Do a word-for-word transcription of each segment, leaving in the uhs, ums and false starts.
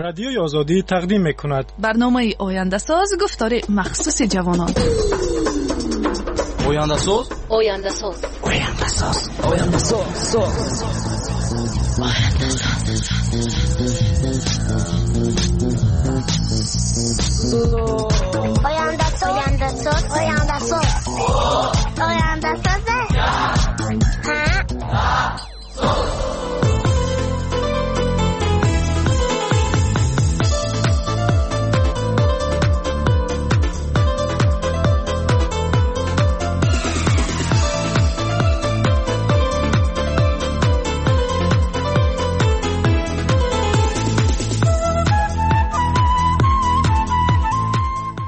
Радиои Озодӣ тақдим мекунад барномаи Ояндасоз, гуфтори махсуси ҷавонон. Ояндасоз, Ояндасоз, Ояндасоз, Ояндасоз, соз. Ояндасоз, Ояндасоз, Ояндасоз, Ояндасоз.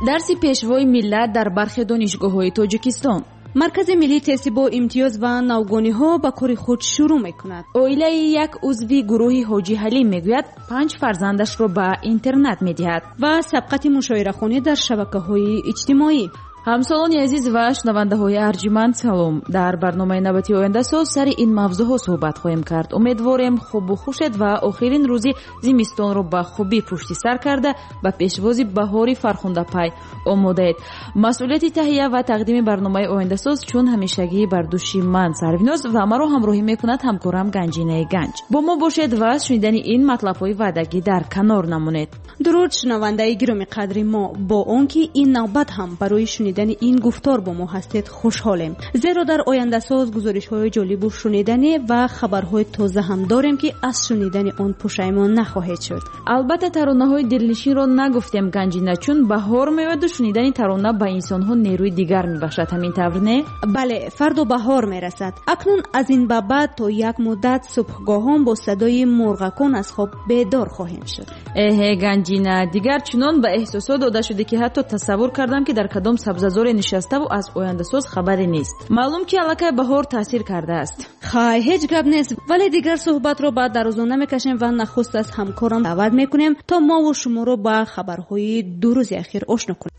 Дарси пешвои миллат дар бархе донишгоҳҳои Тоҷикистон. Маркази миллии тести бо имтиёз ва навгониҳо ба кори худ шурӯъ мекунад. Оилаи як узви гурӯҳи Ҳоҷи Ҳалим мегӯяд панҷ фарзандашро ба интернат медиҳад. Ва сабқати мушоирахонӣ дар шабакаҳои иҷтимоӣ. Ҳамсолони азиз ва шунавандаҳои арҷманд, салом. Дар барномаи навбати Ояндасоз сари ин мавзӯъҳо суҳбат хоҳем кард. Умедворем хубу хушед ва охирин рӯзи зимистонро ба хубӣ пушти сар карда ба пешвози баҳори фархундапай омодаед. Масъулияти таҳия ва тақдими барномаи Ояндасоз чун ҳамешагӣ бар дӯши ман Сарвиноз ва маро ҳамроҳӣ мекунад ҳамкорам Ганҷинаи Ганҷ. Бо мо бошед ва шунидани ин матлабҳои ваъдагӣ дар канор намонед. Дуруд шунавандаи гиромиқадри мо, бо он ки ин навбат ҳам барои шунидан ин гуфтор бо мо ҳастед хушҳолем, зеро дар Ояндасоз гузоришҳои ҷолибу шуниданӣ ва хабарҳои тоза ҳам дорем, ки аз шунидани он пушаймон нахоҳед шуд. Албатта таронаҳои дилнишинро нагуфтем, Ганҷина, чун баҳор меояду шунидани тарона ба инсонҳо нерӯи дигар мебахшад. Ҳамин тавр не? Бале, фардо баҳор мерасад. Акнун аз ин ба баъд то як муддат субҳгоҳон бо садои мурғакон аз хоб бедор хоҳем шуд. Эҳе Ганҷина, дигар чунон ба эҳсосот дода шуде, ки ҳатто тасаввур кардам, ки дар кадом сабзазоре нишаставу аз Ояндасоз хабаре нест. Маълум ки аллакай баҳор таъсир кардааст. Хай, ҳеҷ гап нест, вале дигар суҳбатро ба дарозо намекашем ва нахуст аз ҳамкорам даъват мекунем, то мову шуморо ба хабарҳои ду рӯзи ахир ошно кунем.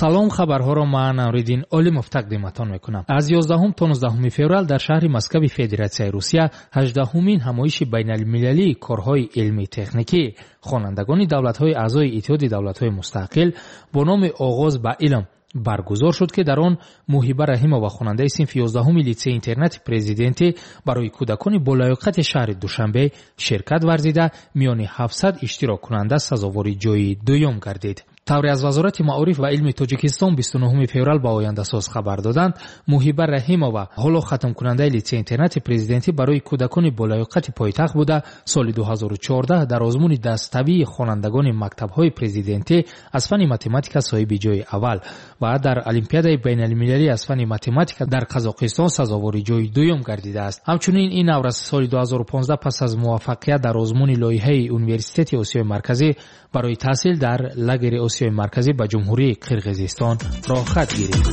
Салом, хабарҳоро ман Амриддин Олимов тақдиматон мекунам. Аз ёздаҳум то нуздаҳуми феврал дар шаҳри Москваи Федератсияи Русия ҳаждаҳумин ҳамоиши байналмилалии корҳои илмӣ-техникӣ хонандагони давлатҳои аъзои Иттиҳоди давлатҳои мустақил бо номи «Оғоз ба илм» баргузор шуд, ки дар он Муҳиба Раҳимова, хонандаи синфи ёздаҳуми литсейи интернати президентӣ барои кӯдакони болаёқати шаҳри Душанбе ширкат варзида, миёни ҳафтсад иштироккунанда сазовори ҷойи дуюм гардид. Тавре аз Вазорати маориф ва илми Тоҷикистон бисту нуҳуми феврал ба Ояндасоз хабар доданд, Муҳиба Раҳимова ҳоло хатмкунандаи литсейи интернати президентӣ барои кӯдакони болаёқати пойтахт буда, соли ду ҳазору чордаҳ дар озмуни даставии хонандагони мактабҳои президентӣ аз фанни математика соҳиби ҷойи аввал ва дар Олимпиадаи байналмилалӣ аз фанни математика дар Қазоқистон сазовори ҷойи дуюм гардидааст. Ҳамчунин ин наврас соли ду ҳазору понздаҳ пас аз муваффақият дар озмуни лоиҳаи Университети Осиёи Марказӣ барои таҳсил дар лагери Осиёи Марказӣ ба Ҷумҳурии Қирғизистон роҳхат гирифт.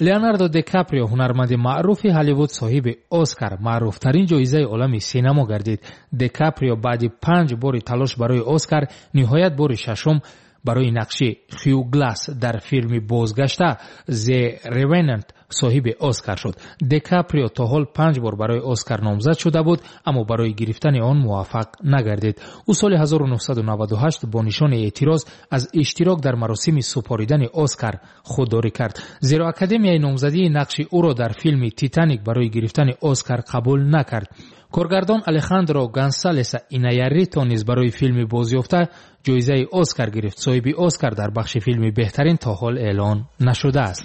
Леонардо Ди Каприо, ҳунарманди маъруфи Ҳолливуд, соҳиби Оскар, маъруфтарин ҷоизаи олами синамо гардид. Ди Каприо баъди панҷ бори талош барои Оскар ниҳоят бори шашум барои нақши Хью Гласс дар филми бозгашта The Revenant соҳиби Оскар шуд. Ди Каприо то ҳол панҷ бор барои Оскар номзад шуда буд, аммо барои гирифтани он муваффақ нагардид. Ӯ соли ҳазору нуҳсаду наваду ҳашт бо нишони эътироз аз иштирок дар маросими супоридани Оскар худдорӣ кард, зеро Академияи номзадии нақши ӯро дар филми Титаник барои гирифтани Оскар қабул накард. Коргардон Алехандро Гонсалес Иньяррито низ барои филми бозёфта ҷоизаи Оскар гирифт. Соҳиби Оскар дар бахши филми беҳтарин то ҳол эълон нашудааст.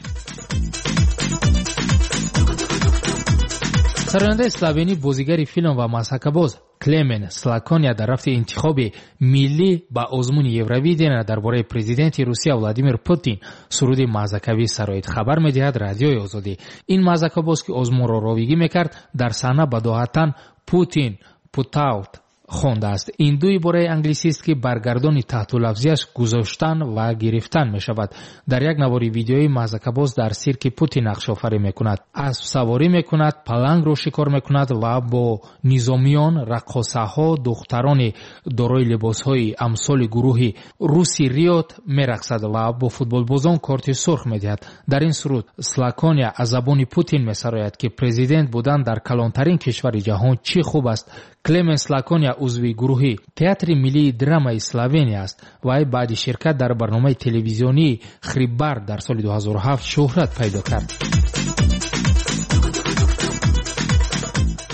Сарояндаи словенӣ, бозигари филм ва масхакабоз Клемен Слакония дар рафти интихоби миллӣ ба озмуни Евровидения дар бораи президенти Русия Владимир Путин суруди мазакавӣ сароид, хабар медиҳад Радиои Озодӣ. Ин мазакабоз, ки озмунро ровигӣ мекард, дар саҳна бадоҳатан «Путин Путаут» хондааст. Ин ду ибораи англисист, ки баргардони таҳтулафзиаш гузоштан ва гирифтан мешавад. Дар як навори видеои мазакабоз дар сирки Путин нақшофарӣ мекунад, аспсаворӣ мекунад, палангро шикор мекунад ва бо низомиён, раққосаҳо, духтарони дорои либосҳои амсоли гурӯҳи Руси Риот мерақсад ва бо футболбозон корти сурх медиҳад. Дар ин суруд Слакония аз забони Путин месарояд, ки президент будан дар калонтарин кишвари ҷаҳон чӣ хуб аст. Клеменс Лакония узви гурӯҳи Театри миллии драмаи Словения аст. Вай баъди ширкат дар барномаи телевизионии Хрибар дар соли ду ҳазору ҳафт шӯҳрат пайдо кард.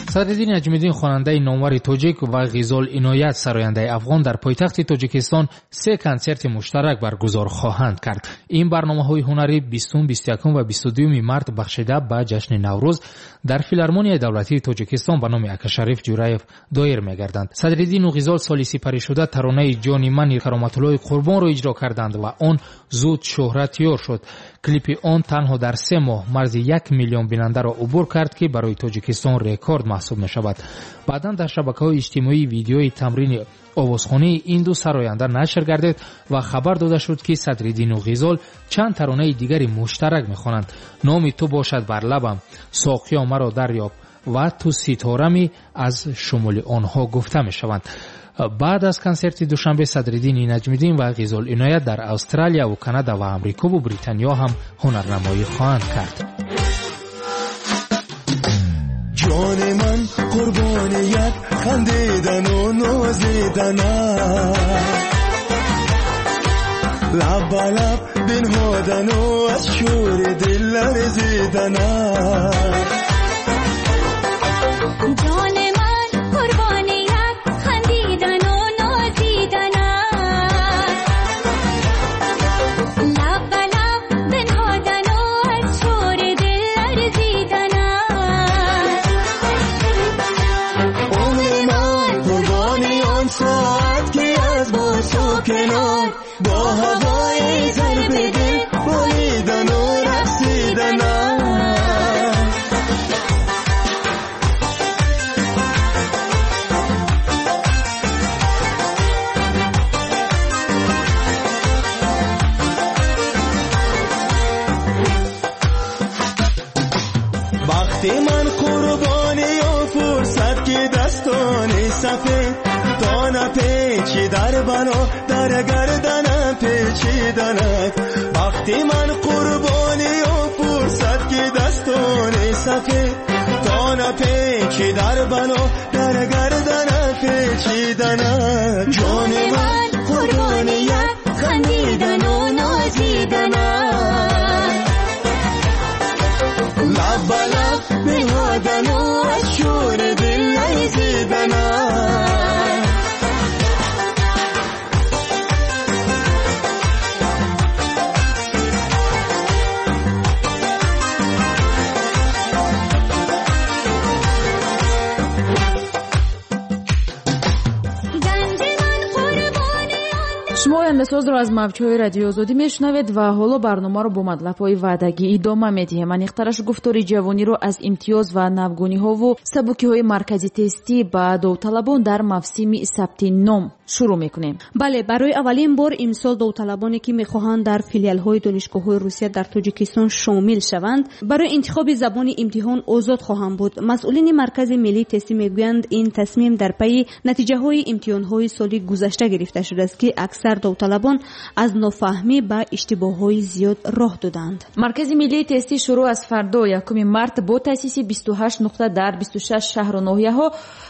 Садриддин Наҷмиддин, хонандаи номвари тоҷик, ва Ғизол Иноят, сарояндаи афғон, дар пойтахти Тоҷикистон се консерти муштарак баргузор хоҳанд кард. Ин барномаҳои ҳунарӣ бистум, бисту якум ва бисту дуюми март бахшида ба ҷашни Наврӯз дар Филармонияи давлатии Тоҷикистон ба номи Акашариф Ҷураев доир мегарданд. Садриддину Ғизол соли сипаришуда таронаи ҷони мани Кароматуллои Қурбонро иҷро карданд ва он зуд шӯҳратёр шуд. Клипи он танҳо дар се моҳ марзи як миллион бинандаро убур кард, ки барои Тоҷикистон рекорд маҳсуб мешавад. Баъдан дар шабакаҳои иҷтимоӣ видеои тамрини овозхонии ин ду сароянда нашр гардид ва хабар дода шуд, ки Садриддину Ғизол чанд таронаи дигари муштарак мехонанд. Номи ту бошад бар лабам, соқиё маро дарёб ва ту ситорами аз шумули онҳо гуфта мешаванд. Баъд аз консерти Душанбе Садриддини Наҷмиддин ва Ғизол Иноят дар Австралия ва Канада ва Амрикову Британиё ҳам ҳунарнамоӣ хоҳанд кард. ҷони ман қурбони як хандидану нозиданат, лаб ба лаб бинҳодану аз шӯри дил ларзиданат. ҷони ман қурбони як хандидану нозиданат, лаб ба лаб бинҳодану аз шӯри дил ларзиданат. Умри ман қурбони он соат, ки аз босу канор бо ҳавои зарби дил болидану рақсиданат. Бахти ман қурбони он фурсат, ки дастони сафед то напечи дар бало дар гарданам печиданат. Бахти ман қурбони он фурсат, ки дастони сафед то напечи дар бало дар гарданам печиданат. Ҷони ман қурбони як хандидану нозиданат, лаб ба лаб бинҳодану аз шӯри дил ларзиданат. Шумо Ояндасозро аз мавҷҳои Радиои Озодӣ мешунавед ва ҳоло барномаро бо матлабҳои ваъдагӣ идома медиҳем. Аниқтараш гуфтори ҷавониро аз имтиёз ва навгониҳову сабукиҳои маркази тестӣ ба довталабон дар мавсими сабти ном шурӯъ мекунем. Бале, барои аввалин бор имсол довталабоне, ки мехоҳанд дар филиалҳои донишгоҳҳои Русия дар Тоҷикистон шомил шаванд, барои интихоби забони имтиҳон озод хоҳанд буд. Масъулини Маркази миллии тестӣ мегӯянд, ин тасмим дар пайи натиҷаҳои имтиҳонҳои соли гузашта гирифта шудааст, ки аксар довталабон аз нофаҳмӣ ба иштибоҳҳои зиёд роҳ доданд. Маркази миллии тестӣ шурӯъ аз фардо якуми март бо таъсиси бисту ҳашт нуқта дар бисту шаш шаҳру ноҳияҳо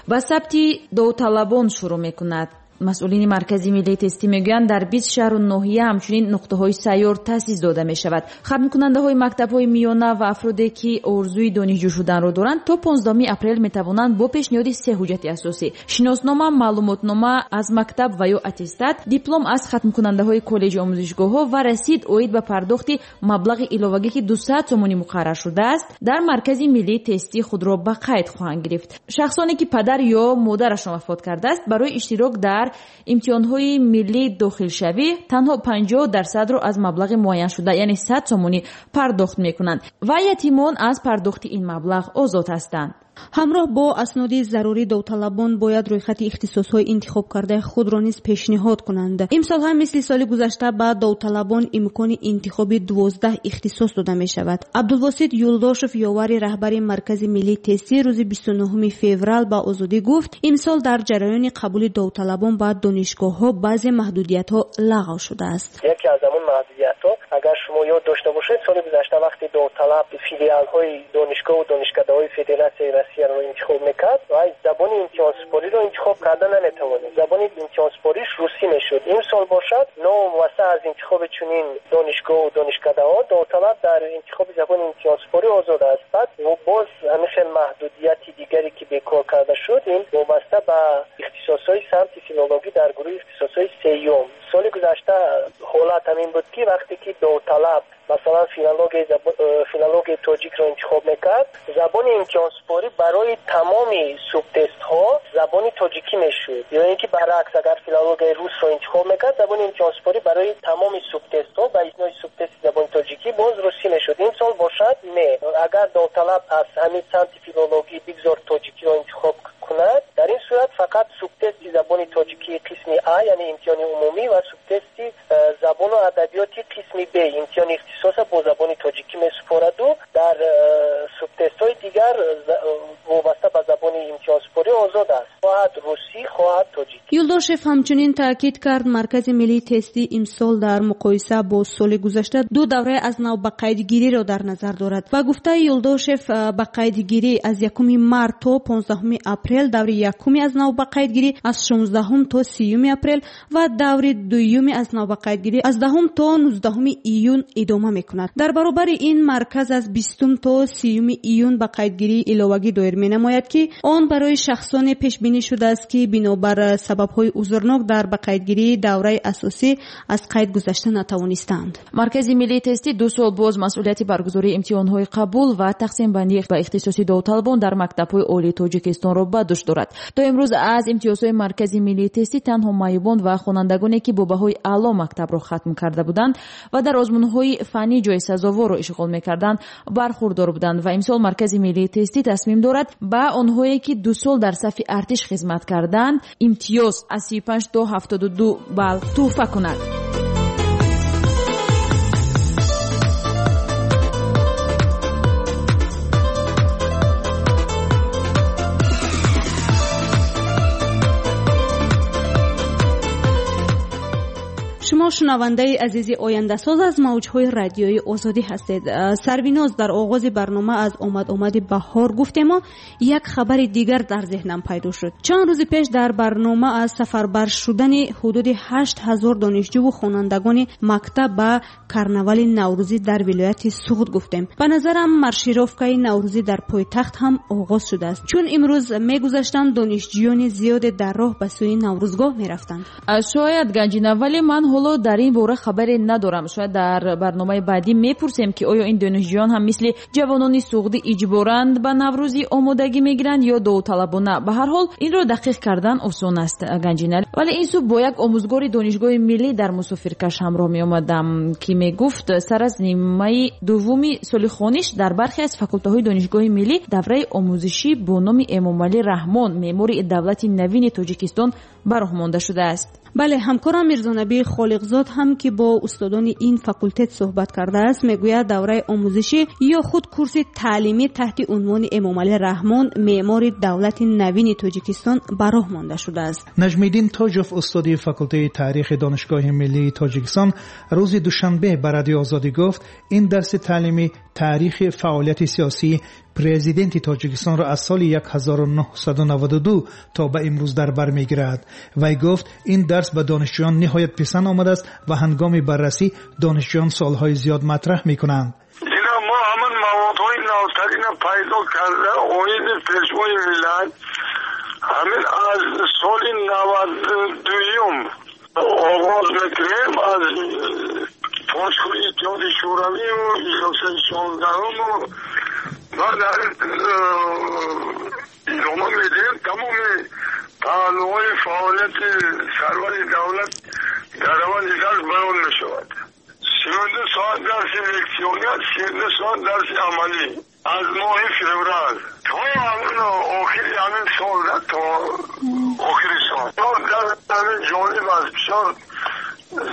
ба сабти довталабон шурӯъ мекунад. Масъулини Маркази миллии тестӣ мегӯянд, дар бист шаҳру ноҳия ҳамчунин нуқтаҳои сайёр таъсис дода мешавад. Хатмкунандаҳои мактабҳои миёна ва афроде, ки орзуи донишҷӯ шуданро доранд, то понздаҳуми апрел метавонанд бо пешниҳоди се ҳуҷҷати асосӣ: шиноснома, маълумотнома аз мактаб ва ё аттестат, диплом аз хатмкунандаҳои коллеҷи омӯзишгоҳҳо ва расид оид ба пардохти маблағи иловагӣ, ки дусад сомонӣ муқаррар шудааст, дар Маркази миллии тестӣ худро ба қайд хоҳанд гирифт. Шахсоне, ки падар ё модарашон вафот кардааст, барои иштирок дар имтиҳонҳои миллии дохилшавӣ танҳо панҷоҳ дарсадро аз маблағи муайяншуда, яъне сад сомонӣ пардохт мекунанд ва ятимон аз пардохти ин маблағ озод ҳастанд. Ҳамроҳ бо асноди зарурӣ довталабон бояд рӯйхати ихтисосҳои интихобкардаи худро низ пешниҳод кунанд. Имсол ҳам мисли соли гузашта ба довталабон имкони интихоби дувоздаҳ ихтисос дода мешавад. Абдулвосит Юлдошев, ёвари раҳбари Маркази миллии тестӣ, рӯзи бисту нуҳуми феврал ба Озодӣ гуфт, имсол дар ҷараёни қабули довталабон ба донишгоҳҳо баъзе маҳдудиятҳо лағв шудааст. Яке аз ҳамон маҳдудиятҳо, агар шумо ёд дошта бошед, соли гузашта вақте довталаб филиалҳои донишгоҳу донишкадаҳои Федератсияи Россияро интихоб мекард, вай забони имтиҳонсупориро интихоб карда наметавонист. Забони имтиҳонсупориш русӣ мешуд. Имсол бошад, новобаста аз интихоби чунин донишгоҳу донишкадаҳо, довталаб дар интихоби забони имтиҳонсупорӣ озод аст. Баъд боз ҳамин хел маҳдудияти дигаре ки бекор карда шуд, ин вобаста ба ихтисосҳои самти филологӣ дар гурӯҳи ихтисосҳои сеюм. Соли гузашта ҳолат ҳамин буд, ки вақте ки довталаб масалан филологияи тоҷикро интихоб мекард, забони имтиҳонсупорӣ барои тамоми субтестҳо забони тоҷикӣ мешуд. Ё ин ки баръакс, агар филологияи русро интихоб мекард, забони имтиҳонсупорӣ барои тамоми субтестҳо ба истиснои субтести забони тоҷикӣ боз русӣ мешуд. Ин сол бошад не. Агар довталаб аз ҳамин самти филологӣ бигзор тоҷикиро интихоб кунад, дар ин сурат фақат субтести забони тоҷикии қисми А, яъне имтиҳони умумӣ, ва субтести забону адабиёти қисми Б, имтиҳони ихтисоса бо забони тоҷикӣ месупораду дар субтестҳои дигар вобаста ба забони имтиҳонсупорӣ озод аст, хоҳад русӣ, хоҳад тоҷикӣ. Юлдошев ҳамчунин таъкид кард, Маркази миллии тестӣ имсол дар муқоиса бо соли гузашта ду давраи аз нав ба қайдгириро дар назар дорад. Ба гуфтаи Юлдошев, ба қайдгирӣ аз якуми март то понздаҳуми апрел, даври якуми аз нав ба қайдгирӣ аз шонздаҳум то сиюми апрел ва даври дуюми аз нав ба қайдгирӣ аз даҳум то нуздаҳуми июн идома мекунад. Дар баробари ин марказ аз бистум то сиюми июн ба қайдгирии иловагӣ доир менамояд, ки он барои шахсоне пешбинӣ шудааст, ки бинобар сабабҳои узрнок дар ба қайдгирии давраи асосӣ аз қайд гузашта натавонистанд. Маркази миллии тестӣ ду сол боз масъулияти баргузории имтиҳонҳои қабул ва тақсимбандӣ ба ихтисоси довталабон дар мактабҳои олии Тоҷикистонро ба дӯш дорад. То имрӯз аз имтиёзҳои Маркази миллии тестӣ танҳо маъюбон ва хонандагоне, ки бо баҳои аъло мактабро хатм карда буданд ва дар озмунҳои фаннӣ ҷои сазоворро ишғол мекарданд, бархурдор буданд. Ва имсол Маркази миллии тестӣ тасмим дорад ба онҳое, ки ду сол дар сафи артиш хизмат карданд, имтиёз аз сию панҷ то ҳафтоду ду балл тӯҳфа кунад. Шумо шунавандаи азизи Ояндасоз аз мавҷҳои радиои Озодӣ ҳастед. Сарвиноз, дар оғози барнома аз омад-омади баҳор гуфтему як хабари дигар дар зеҳнам пайдо шуд. Чанд рӯзи пеш дар барнома аз сафарбар шудани ҳудуди ҳашт ҳазор донишҷӯву хонандагони мактаб ба карнавали наврӯзӣ дар вилояти Суғд гуфтем. Ба назарам маршировкаи наврӯзӣ дар пойтахт ҳам оғоз шудааст, чун имрӯз мегузаштам донишҷӯёни зиёде дар роҳ ба сӯи наврӯзгоҳ мерафтанд. Шояд, Ганҷина, вале ман ҳоло дар ин бора хабаре надорам. Шояд дар барномаи баъдӣ мепурсем, ки оё ин донишҷӯён ҳам мисли ҷавонони суғдӣ иҷборанд ба наврӯзӣ омодагӣ мегиранд ё довталабона. Ба ҳар ҳол инро дақиқ кардан осон аст, Ганҷина. Вале ин субҳ бо як омӯзгори донишгоҳи миллӣ дар мусофиркаш ҳамроҳ меомадам, ки мегуфт сар аз нимаи дуввуми соли хониш дар бархе аз факултаҳои донишгоҳи миллӣ давраи омӯзишӣ бо номи Эмомалӣ Раҳмон, меъмори давлати навини Тоҷикистон, ба роҳ монда шудааст. Бале, ҳамкорам Мирзонабӣ Холиқзод ҳам, ки бо устодони ин факултет суҳбат кардааст, мегӯяд давраи омӯзишӣ ё худ курси таълимӣ таҳти унвони Эмомалӣ Раҳмон, меъмори давлати навини Тоҷикистон, ба роҳ монда шудааст. Наҷмиддин Тоҷов, устоди факултаи таърихи Донишгоҳи миллии Тоҷикистон, рӯзи душанбе ба Радиои Озодӣ гуфт, ин дарси таълимӣ таърихи фаъолияти сиёсии президенти Тоҷикистонро аз соли ҳазору нӯҳсаду наваду ду то ба имрӯз дар бар мегирад. Вай гуфт, ин дарс ба донишҷӯён ниҳоят писанд омадааст ва ҳангоми баррасӣ донишҷӯён суолҳои зиёд матраҳ мекунанд. Ина мо ҳамин маводҳои навтарина пайдо карда оиди пешвои миллат ҳамин аз соли наваду дуюм оғоз мекунем, аз пошхӯри Иттиҳоди Шӯравию иҷлосаи шонздаҳуму ва дар идома медиҳем тамоми паҳлӯҳои фаъолияти сарвари давлат дар раванди дарс баён мешавад. сию ду соат дарси лексионӣ аст, сию ду соат дарси амалӣ аз моҳи феврал то ҳамин то охири сол. Дар ҷолиб аст, бисёр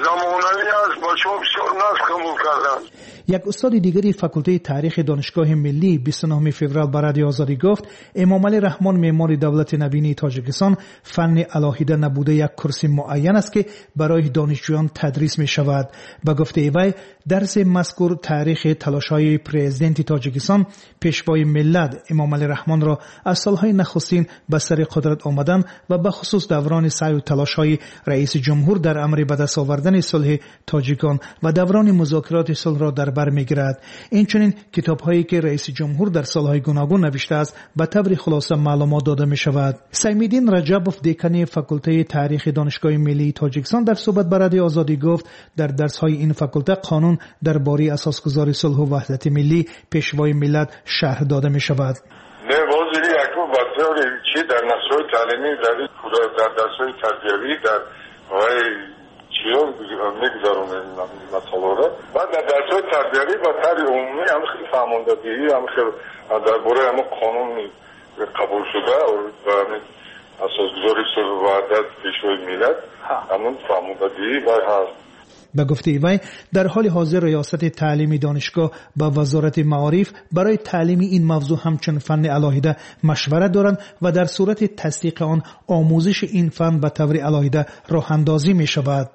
замонавӣ аст, бачаҳо бисёр нағз қабул карданд. Як устоди дигари факултаи таърихи Донишгоҳи миллӣ бисту нӯҳуми феврал ба Радиои Озодӣ гуфт, Эмомалӣ Раҳмон меъмори давлати навини Тоҷикистон фанни алоҳида набуда як курси муайян аст, ки барои донишҷӯён тадрис мешавад. Ба гуфтаи вай, дарси мазкур таърихи талошҳои президенти Тоҷикистон, пешвои миллат Эмомалӣ Раҳмонро аз солҳои нахустин ба сари қудрат омадан ва ба хусус даврони саъю талошҳои раиси ҷумҳур дар амри ба даст овардани сулҳи тоҷикон ва даврони музокироти сулҳро дар бар мегирад. Инчунин китобҳое ки раиси ҷумҳур дар солҳои гуногун навиштааст ба таври хулоса маълумот дода мешавад. Саймиддин Раҷабов, декани факултаи таърихи Донишгоҳи миллии Тоҷикистон, дар суҳбат ба Радиои Озодӣ гуфт, дар дарсҳои ин факулта қонун дар бораи асосгузори сулҳу ваҳдати миллӣ, пешвои миллат шарҳ дода мешавад. Не, возири яку ба таври чи дар насҳои таълимӣ, дар дарсҳои тарбиявӣ, дар вай чиё мегузаронем масъаларо. Баъд дар дарсҳои тарбиявӣ ба таври умумӣ ҳам хеле фаҳмондадиҳӣ, ҳам хеле дар бораи ҳамон қонуни қабулшуда ва асосгузори сулҳу ваҳдат, пешвои миллат, ҳамон фаҳмондадиҳӣ вай ҳаст. Ба гуфтаи вай, дар ҳоли ҳозир риёсати таълими донишгоҳ ба вазорати маориф барои таълими ин мавзӯъ ҳамчун фанни алоҳида машварат доранд ва дар сурати тасдиқи он омӯзиши ин фан ба таври алоҳида роҳандозӣ мешавад.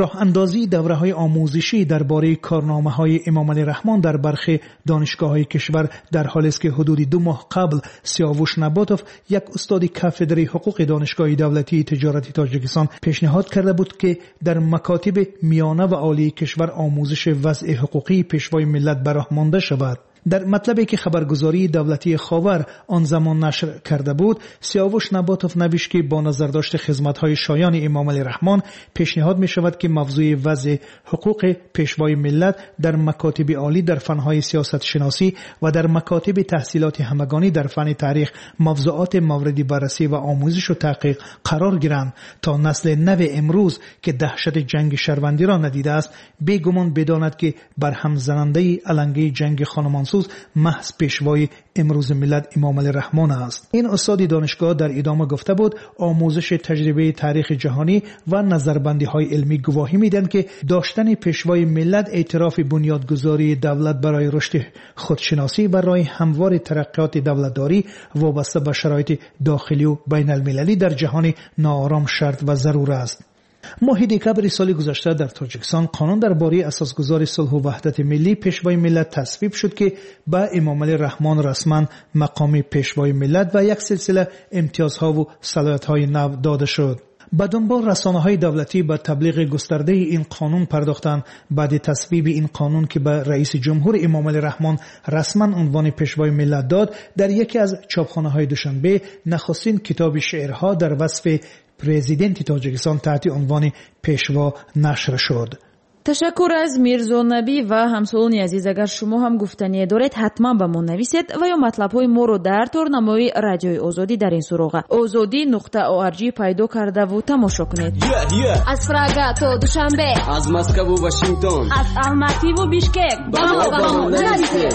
Роҳандозии давраҳои омӯзишӣ дар бораи корномаҳои Эмомалӣ Раҳмон дар бархи донишгоҳҳои кишвар дар ҳолест ки ҳудуди ду моҳ қабл Сиёвуш Наботов, як устоди кафедраи ҳуқуқи Донишгоҳи давлатии тиҷорати Тоҷикистон, пешниҳод карда буд, ки дар макотиби миёна ва олии кишвар омӯзиши вазъи ҳуқуқии пешвои миллат ба роҳ монда шавад. Дар матлабе ки хабаргузории давлатии Ховар он замон нашр карда буд, Сиёвуш Наботов навишт, ки бо назардошти хизматҳои шоёни Эмомалӣ Раҳмон пешниҳод мешавад, ки мавзӯи вазъи ҳуқуқи пешвои миллат дар макотиби олӣ дар фанҳои сиёсатшиносӣ ва дар макотиби таҳсилоти ҳамагонӣ дар фанни таърих мавзӯоти мавриди баррасӣ ва омӯзишу таҳқиқ қарор гиранд, то насли нави имрӯз, ки даҳшати ҷанги шаҳрвандиро надидааст, бегумон бидонад, ки барҳамзанандаи алангаи ҷанги хонумонсӯз маҳз пешвои имрӯзи миллат Эмомалӣ Раҳмон аст. Ин устоди донишгоҳ дар идома гуфта буд, омӯзиши таҷрибаи таърихи ҷаҳонӣ ва назарбандиҳои илмӣ гувоҳӣ медиҳанд, ки доштани пешвои миллат эътирофи бунёдгузории давлат барои рушди худшиносӣ ва роҳи ҳамвори тараққиёти давлатдорӣ вобаста ба шароити дохилию байналмилалӣ дар ҷаҳони ноором шарт ва зарур аст. Моҳи декабри соли гузашта дар Тоҷикистон қонун дар бораи асосгузори сулҳу ваҳдати миллӣ, пешвои миллат тасвиб шуд, ки ба Эмомалӣ Раҳмон расман мақоми пешвои миллат ва як силсила имтиёзҳову салоҳиятҳои нав дода шуд. Ба дунбол расонаҳои давлатӣ ба таблиғи густардаи ин қонун пардохтанд. Баъди тасвиби ин қонун, ки ба раиси ҷумҳур Эмомалӣ Раҳмон расман унвони пешвои миллат дод, дар яке аз чопхонаҳои Душанбе нахустин китоби шеърҳо дар васфи президенти Тоҷикистон таҳти унвони Пешво нашр шуд. Ташаккур аз Мирзо Набӣ ва ҳамсолони азиз. Агар шумо ҳам гуфтание доред, ҳатман ба мо нависед ва ё матлабҳои моро дар торнамои Радиои Озодӣ дар ин суроға озодӣ нуқта орг пайдо кардаву тамошо кунед. Аз Прага то Душанбе, аз Москву Вашингтон, аз Алмативу Бишкек ба мо ба мо нависед.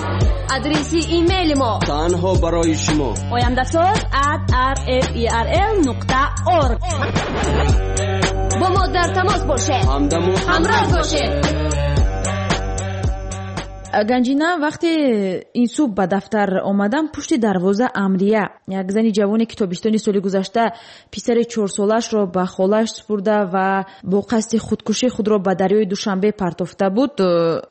Адреси имейли мо танҳо барои шумо ояндасоз at r f e r l нуқта org. Бо мо дар тамос бошед, ҳамдаму ҳамроҳ бошед. Ганҷина, вақте ин субҳ ба дафтар омадам, пушти дарвоза Амрия, як зани ҷавоне, ки тобистони соли гузашта писари чорсолаашро ба холааш супурда ва бо қасди худкушӣ худро ба дарёи Душанбе партофта буд,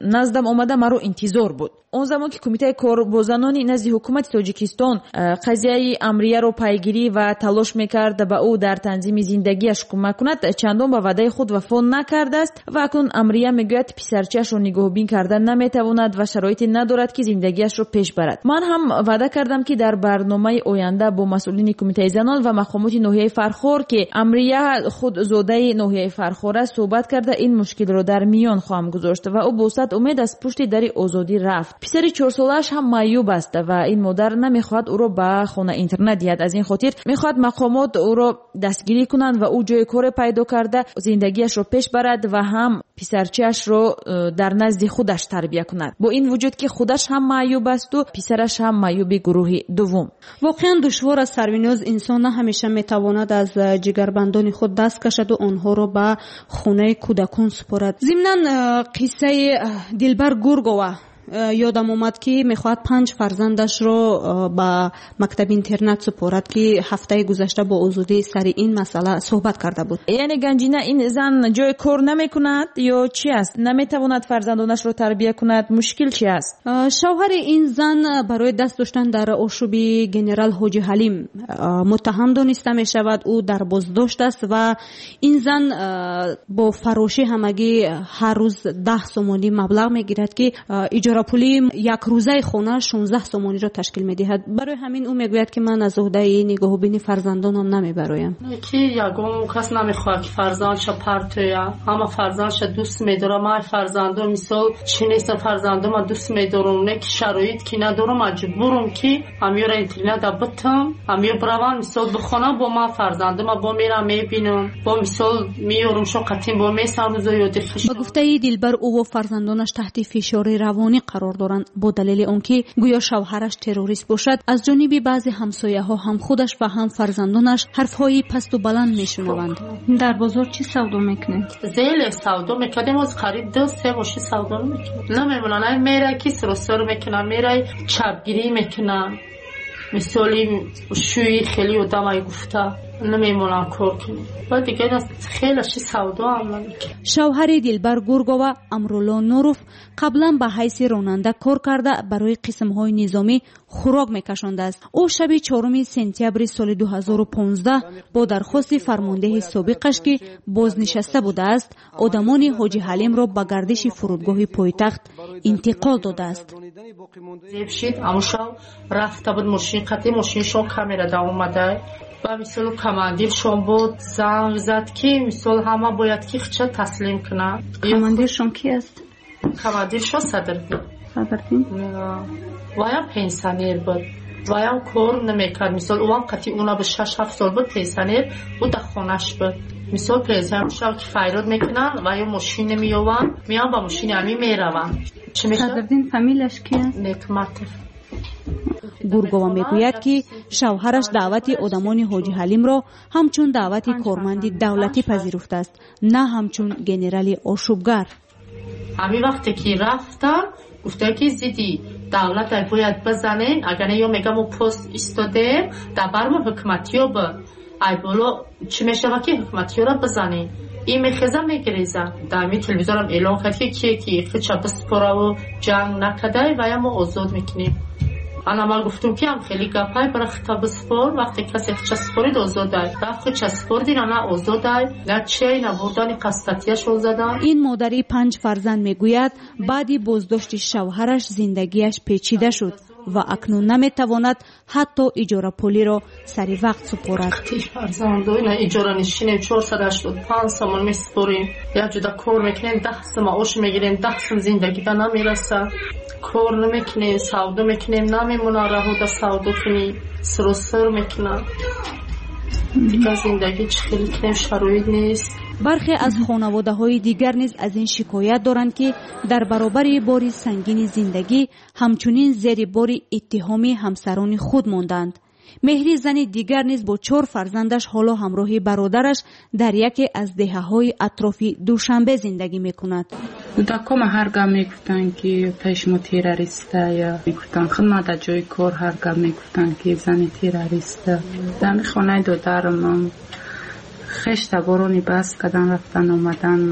наздам омада маро интизор буд. Он замон ки кумитаи кор бо занони назди ҳукумати Тоҷикистон қазияи Амрияро пайгирӣ ва талош мекард ба ӯ дар танзими зиндагиаш кӯмак кунад, чандон ба ваъдаи худ вафо накардааст ва акнун Амрия мегӯяд писарчаашро нигоҳубин карда наметавонад ва шароите надорад, ки зиндагиашро пеш барад. Ман ҳам ваъда кардам, ки дар барномаи оянда бо масъулини кумитаи занон ва мақомоти ноҳияи Фархор, ки Амрия худ зодаи ноҳияи Фархор аст, суҳбат карда ин мушкилро дар миён хоҳам гузошт ва ӯ бо сад умед аз пушти дари Озодӣ рафт. Писари чорсолааш ҳам маъюб аст ва ин модар намехоҳад ӯро ба хона интернат диҳад. Аз ин хотир мехоҳад мақомот ӯро дастгирӣ кунанд ва ӯ ҷои коре пайдо карда зиндагиашро пеш барад ва ҳам писарчаашро дар назди худаш тарбия кунад. Бо ин вуҷуд ки худаш ҳам маъюб асту писараш ҳам маъюби гурӯҳи дуввум. Воқеан душвор аст, Сарвиноз. Инсон на ҳамеша метавонад аз ҷигарбандони худ даст кашаду онҳоро ба хонаи кӯдакон супорад. Зимнан қиссаи Дилбар Гургова ёдам омад, ки мехоҳад панҷ фарзандашро ба мактаби интернат супорад, ки ҳафтаи гузашта бо Озодӣ сари ин масъала суҳбат карда буд. Яъне Ганҷина, ин зан ҷои кор намекунад ё чи аст? Наметавонад фарзандонашро тарбия кунад? Мушкил чи аст? Шавҳари ин зан барои даст доштан дар ошӯби генерал Ҳоҷи Ҳалим муттаҳам дониста мешавад. Ӯ дар боздошт аст ва ин зан бо фарошӣ ҳамагӣ ҳар рӯз даҳ сомонӣ маблағ мегирад, ки иҷора пули якрӯзаи хона шонздаҳ сомониро ташкил медиҳад. Барои ҳамин ӯ мегӯяд, ки ман аз уҳдаи нигоҳубини фарзандонам намебароям. Ки ягон кас намехоҳад, ки фарзандша партоя. Ҳама фарзандша дӯст медорам. Ман фарзандон мисол чӣ нестам, фарзандома дӯст медорам, не ки шароит ки надорам, маҷбурам ки ҳамёра интерната битам, ҳамё биравам мисол бихонам, бо ман фарзандома бо мерам мебинам, бо мисол меёрам шо қатин бо месам рӯзо ёди хиш. Ба гуфтаи Дилбар, ӯ ва фарзандонаш таҳти фишори равонӣ қарор доранд, бо далели он ки гӯё шавҳараш террорист бошад. Аз ҷониби баъзе ҳамсояҳо ҳам худаш ва ҳам фарзандонаш ҳарфҳои пасту баланд мешунаванд. Дар бозор чӣ савдо мекунед? Зеле савдо мекардем, оз қариб ду се мошин савдо мекунем. Намемонанд, ай мерай ки сиросор мекунам, мерай чапгирӣ мекунам. Мисоли шӯи хеле одамай гуфта намемонам кор кунем. Баъд дигар хеле ши савдо ҳам намекунем. Шавҳари Дилбар Гургова Амрулло Нуров қаблан ба ҳайси ронанда кор карда барои қисмҳои низомӣ хӯрок мекашондааст. Ӯ шаби чоруми сентябри соли ду ҳазору понздаҳ бо дархости фармондеҳи собиқаш, ки бознишаста будааст, одамони Ҳоҷи Ҳалимро ба гардиши фурудгоҳи пойтахт интиқол додааст. Зеб шид, аму шав рафта буд мошин қатӣ, мошиншон камера да омада. Ба мисол командиршон буд, занг зад, ки мисол ҳама бояд ки хича таслим кунад. Командиршон ки аст? Командиршон Садриддин. Садриддин? Ваям пенсионер буд. Ваям кор намекард. Мисол ӯам қатӣ уна бу шаш ҳафт сол буд пенсионер, ӯ дар хонаш буд. Мисол пенсионер шав ки файрод мекунанд ва ё мошин намеёванд, меянд ба мошини ҳамин мераванд. Чӣ мешавад? Садриддин фамилияш ки аст? Некматов. Гургова мегӯяд, ки шавҳараш даъвати одамони Ҳоҷи Ҳалимро ҳамчун даъвати корманди давлатӣ пазируфтааст, на ҳамчун генерали ошӯбгар. Ҳамин вақте ки рафтам, гуфта ки зидди давлат бояд бизанем, агар не ё мегам мо пост истодем, дар бармо ҳукуматиё б ай боло чӣ мешавад ки ҳукуматиёро бизанем. Ин мехеза мегиреза. Дар ҳамин телевизорам эълон кард, ки кие ки хича биспораву ҷанг накардай, вая мо озод мекунем. Ана ман гуфтум, ки ҳам хеле гапай, бара хита биспор, вақте касе хича спорид озодай. Рафт хича спордин, ана озодай, на чей, на бурдани қастатияшон задан. Ин модари панҷ фарзанд мегӯяд, баъди боздошти шавҳараш зиндагиаш печида шуд ва акнун наметавонад ҳатто иҷорапулиро сари вақт супорад. Фарзандо ина иҷора нишинем, чорсад ҳаштоду панҷ сомон месупорем, як ҷуда кор мекунем, даҳ сум маош мегирем, даҳ сум зиндагида намерасад. Кор намекунем, савдо мекунем, намемонад раҳода савдо кунӣ, сиросир мекунад. Дигар зиндагӣ чӣ хеле кунем, шароит нест. Бархе аз хонаводаҳои дигар низ аз ин шикоят доранд, ки дар баробари бори сангини зиндагӣ ҳамчунин зери бори иттиҳоми ҳамсарони худ монданд. Меҳри зани дигар низ бо чор фарзандаш ҳоло ҳамроҳи бародараш дар яке аз деҳаҳои атрофи Душанбе зиндагӣ мекунад. Кӯдакҳома ҳар гап мегуфтанд, ки пеш мо террориста, ё мегуфтанд худма дар ҷои кор ҳар гап мегуфтанд, ки зани террориста. Дар хонаи додарам хеш таборони бас кардан, рафтан омадан,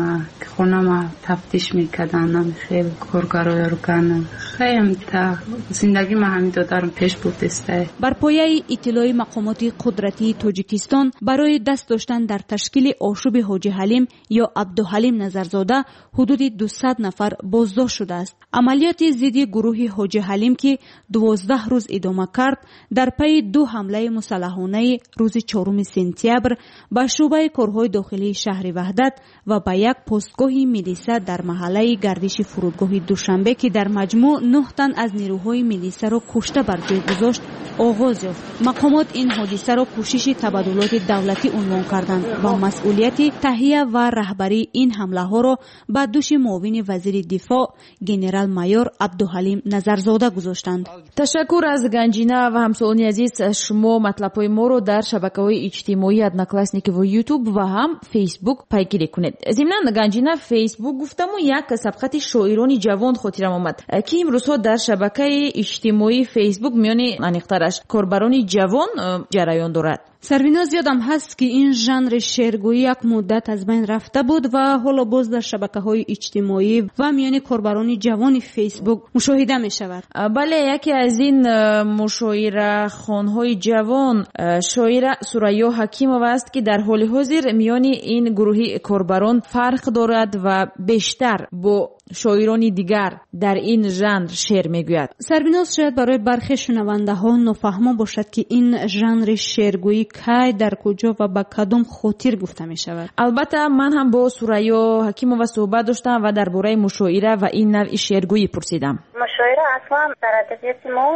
хонама тафтиш мекардан, хел коргарои орган. Хеле та зиндагӣ ма ҳамин додарам пеш бурдестай. Бар пояи иттилои мақомоти қудратии Тоҷикистон барои даст доштан дар ташкили ошӯби Ҳоҷи Ҳалим ё Абдуҳалим Назарзода ҳудуди дусад нафар боздошт шудааст. Амалиёти зидди гурӯҳи Ҳоҷи Ҳалим, ки дувоздаҳ рӯз идома кард, дар пайи ду ҳамлаи мусаллаҳонаи рӯзи чоруми сентябр ба шӯъбаи корҳои дохилии шаҳри Ваҳдат ва ба як постгоҳи Қароргоҳи милиса дар маҳаллаи гардиши фурудгоҳи Душанбе, ки дар маҷмӯъ нӯҳ тан аз нерӯҳои милисаро кушта бар ҷой гузошт, оғоз ёфт. Мақомот ин ҳодисаро кӯшиши табаддулоти давлатӣ унвон карданд ва масъулияти таҳия ва раҳбарии ин ҳамлаҳоро ба дӯши муовини вазири дифоъ генерал-майор Абдуҳалим Назарзода гузоштанд. Ташаккур аз Ганҷина ва ҳамсолони азиз. Шумо матлабҳои моро дар шабакаҳои иҷтимоӣ Одноклассники ва Ютуб ва ҳам Фейсбук пайгирӣ кунед. Зимнан Ганҷина, Фейсбук гуфтаму як сабқати шоирони ҷавон хотирам омад, ки имрӯзҳо дар шабакаи иҷтимоии Фейсбук миёни аниқтараш корбарони ҷавон ҷараён дорад. Сарвиноз, ёдам ҳаст, ки ин жанри шеъргӯӣ як муддат аз байн рафта буд ва ҳоло боз дар шабакаҳои иҷтимоӣ ва миёни корбарони ҷавони Фейсбук мушоҳида мешавад. Бале, яке аз ин мушоирахонҳои ҷавон шоира Сурайё Ҳакимова аст, ки дар ҳоли ҳозир миёни ин гурӯҳи корбарон фарқ дорад ва бештар бо шоирони дигар дар ин жанр шеър мегӯяд. Сарвиноз, шояд барои бархе шунавандаҳо нофаҳмо бошад, ки ин жанри шеъргӯӣ кай, дар куҷо ва ба кадом хотир гуфта мешавад. Албатта, ман ҳам бо Сурайё Ҳакимова суҳбат доштам ва дар бораи мушоира ва ин навъи шеъргӯӣ пурсидам. Мушоира аслан дар адабиёти мо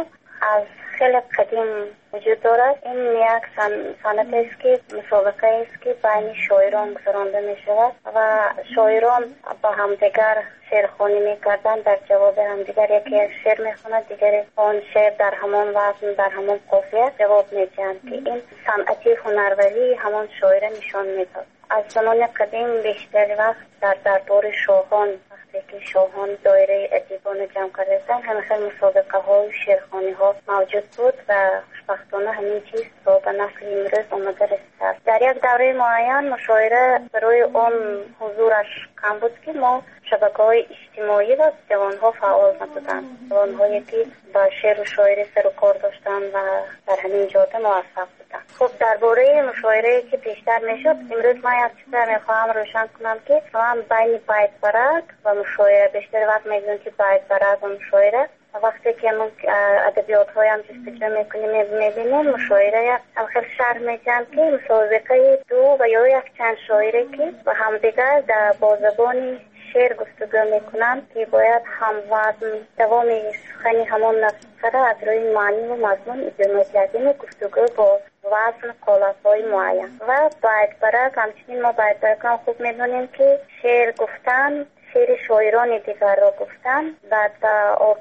аз хеле қадим вуҷуд дорад. Ин як санъат аст, ки мусобиқае аст, ки байни шоирон гузаронда мешавад ва шоирон ба ҳамдигар шеърхонӣ мекарданд. Дар ҷавоби ҳамдигар яке як шеър мехонад, дигаре он шеър дар ҳамон вазн, дар ҳамон қофия ҷавоб медиҳанд, ки ин санъати ҳунарварии ҳамон шоира нишон медод. Аз замони қадим бештар вақт дар дарбори шоҳон, вақте ки шоҳон доираи адибонро ҷамъ карда буданд, ҳамин хел мусобиқаҳою шеърхониҳо мавҷуд буд ва хушбахтона ҳамин чиз то ба насли имрӯз омада расидааст. Дар як давраи муайян мушоира барои он ҳузураш кам буд, ки мо шабакаҳои иҷтимоӣ ва ҷавонҳо фаъол набуданд. Ҷавонҳое ки ба шеъру шоирӣ сару кор доштанд ва дар ҳамин ҷода муваффақ буданд. Хуб, дар бораи мушоирае ки пештар мешуд, имрӯз ман як чизро мехоҳам рӯшан кунам, ки ман байни байтбарак ва мушоира бештар вақт мегӯям, ки байтбарак ва мушоира. Вақте ки адабиётҳоям ҷустуҷӯ мекунем, мебинем мушоира ҳам хел шарҳ медиҳанд, ки мусобиқаи ду ва ё якчанд шоире, ки ба ҳамдигар бо забони шеър гуфтугӯ мекунанд, ки бояд ҳамвазн давоми сухани ҳамон нафара аз рӯи маънӣ ва мазмун идома диҳад, яъне гуфтугӯ бо вазн қолабҳои муайян. Ва байтбарак, ҳамчунин мо байтбаракам хуб медонем, ки шеър гуфтан, шеъри шоирони дигарро гуфтан, баъд ба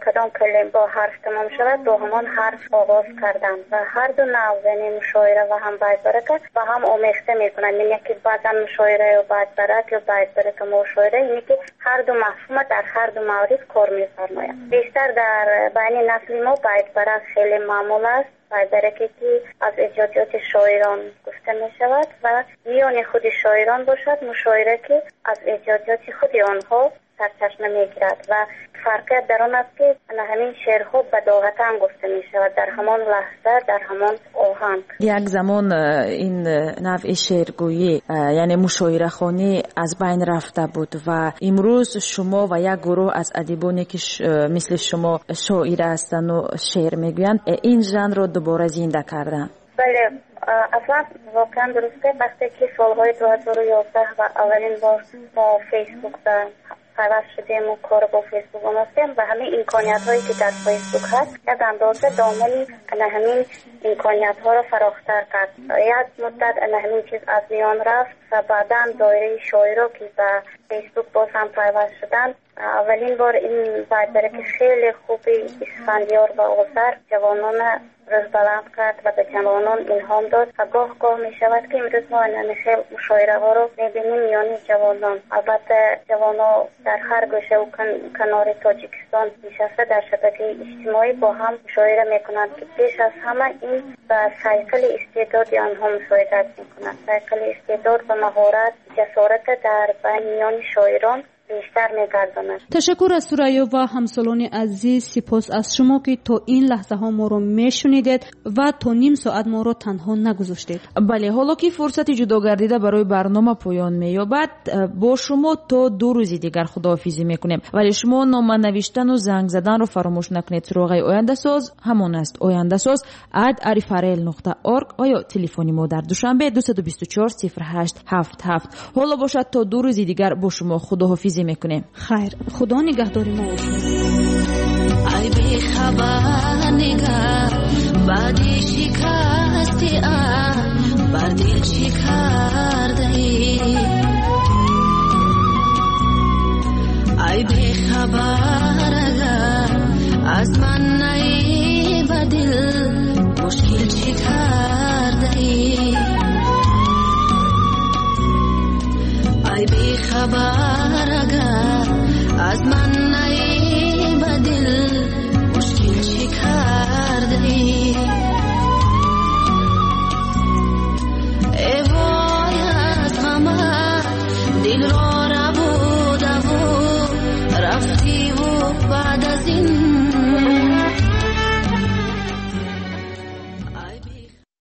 кадом калима бо ҳарф тамом шавад, бо ҳамон ҳарф оғоз кардан ва ҳар ду навъ, яъне мушоира ва ҳам байтбарака ба ҳам омехта мекунанд. Яъне ки баъзан мушоира ё байтбарак ё байтбарака мушоира, яъне ки ҳар ду мафҳума дар ҳар ду маврид кор мефармояд. Бештар дар байни насли мо байтбарак хеле маъмул аст. Байтбараке ки аз эҷодиёти шоирон гуфта мешавад ва миёни худи шоирон бошад мушоира, ки аз эҷодиёти худи онҳо сарчашма мегирад ва фарқият дар он аст, ки ҳамин шеърҳо бадоғатан гуфта мешавад дар ҳамон лаҳза, дар ҳамон оҳанг. Як замон ин навъи шеъргӯӣ, яъне мушоирахонӣ аз байн рафта буд ва имрӯз шумо ва як гурӯҳ аз адибоне, ки мисли шумо шоира ҳастанд ва шеър мегӯянд, ин жанрро дубора зинда карданд. Бале, аслан воқеан дуруст аст. Вақте ки солҳои ду ҳазору ёздаҳ ва аввалин бор мо Фейсбук пайваст шудем ва кор бо Фейсбук омӯхтем ва ҳамин имкониятҳое ки дар Фейсбук ҳаст, як андоза домани ана ҳамин имкониятҳоро фарохтар кард. Як муддат ана ҳамин чиз аз миён рафт ва баъдан доираи шоиро, ки ба Фейсбук боз ҳам пайваст шуданд, аввалин бор ин байтбараки хеле хуби Исфандиёр ва Озар ҷавонона рӯзбаланд кард ва ба ҷавонон илҳом дод ва гоҳ-гоҳ мешавад, ки имрӯз мо ана хел мушоираҳоро мебинем миёни ҷавонон. Албатта, ҷавонон дар ҳар гӯшаву канори Тоҷикистон нишаста дар шабакаи иҷтимоӣ бо ҳам мушоира мекунанд, ки пеш аз ҳама ин ба сайқали истеъдоди онҳо мусоидат мекунад. Сайқали истеъдод ва маҳорат, ҷасорат дар байни миёни шоирон бештар мегардонад. Ташаккур аз Сурайё ва ҳамсолони азиз. Сипос аз шумо, ки то ин лаҳзаҳо моро мешунидед ва то ним соат моро танҳо нагузоштед. Бале, ҳоло ки фурсати ҷудогардида барои барнома поён меёбад, бо шумо то ду рӯзи дигар худоҳофизӣ мекунем. Вале шумо нома навиштану занг заданро фаромӯш накунед. Суроғаи Ояндасоз ҳамон аст: ояндасоз ад арифарел нуқта орг ва ё телефони мо дар Душанбе дусаду бисту чор сифр ҳашт ҳафт ҳафт. Ҳоло бошад, то ду рӯзи дигар бо шумо худоҳофизӣ мекунем. Хайр, худо нигаҳдори мо бошад. Ай бехабар нигар, баъди шикасти бар дил чӣ кардаӣ? Ай бехабар агар аз ман наӣ ба дил мушкил чӣ кардаӣ? Ай бехабар агар аз ман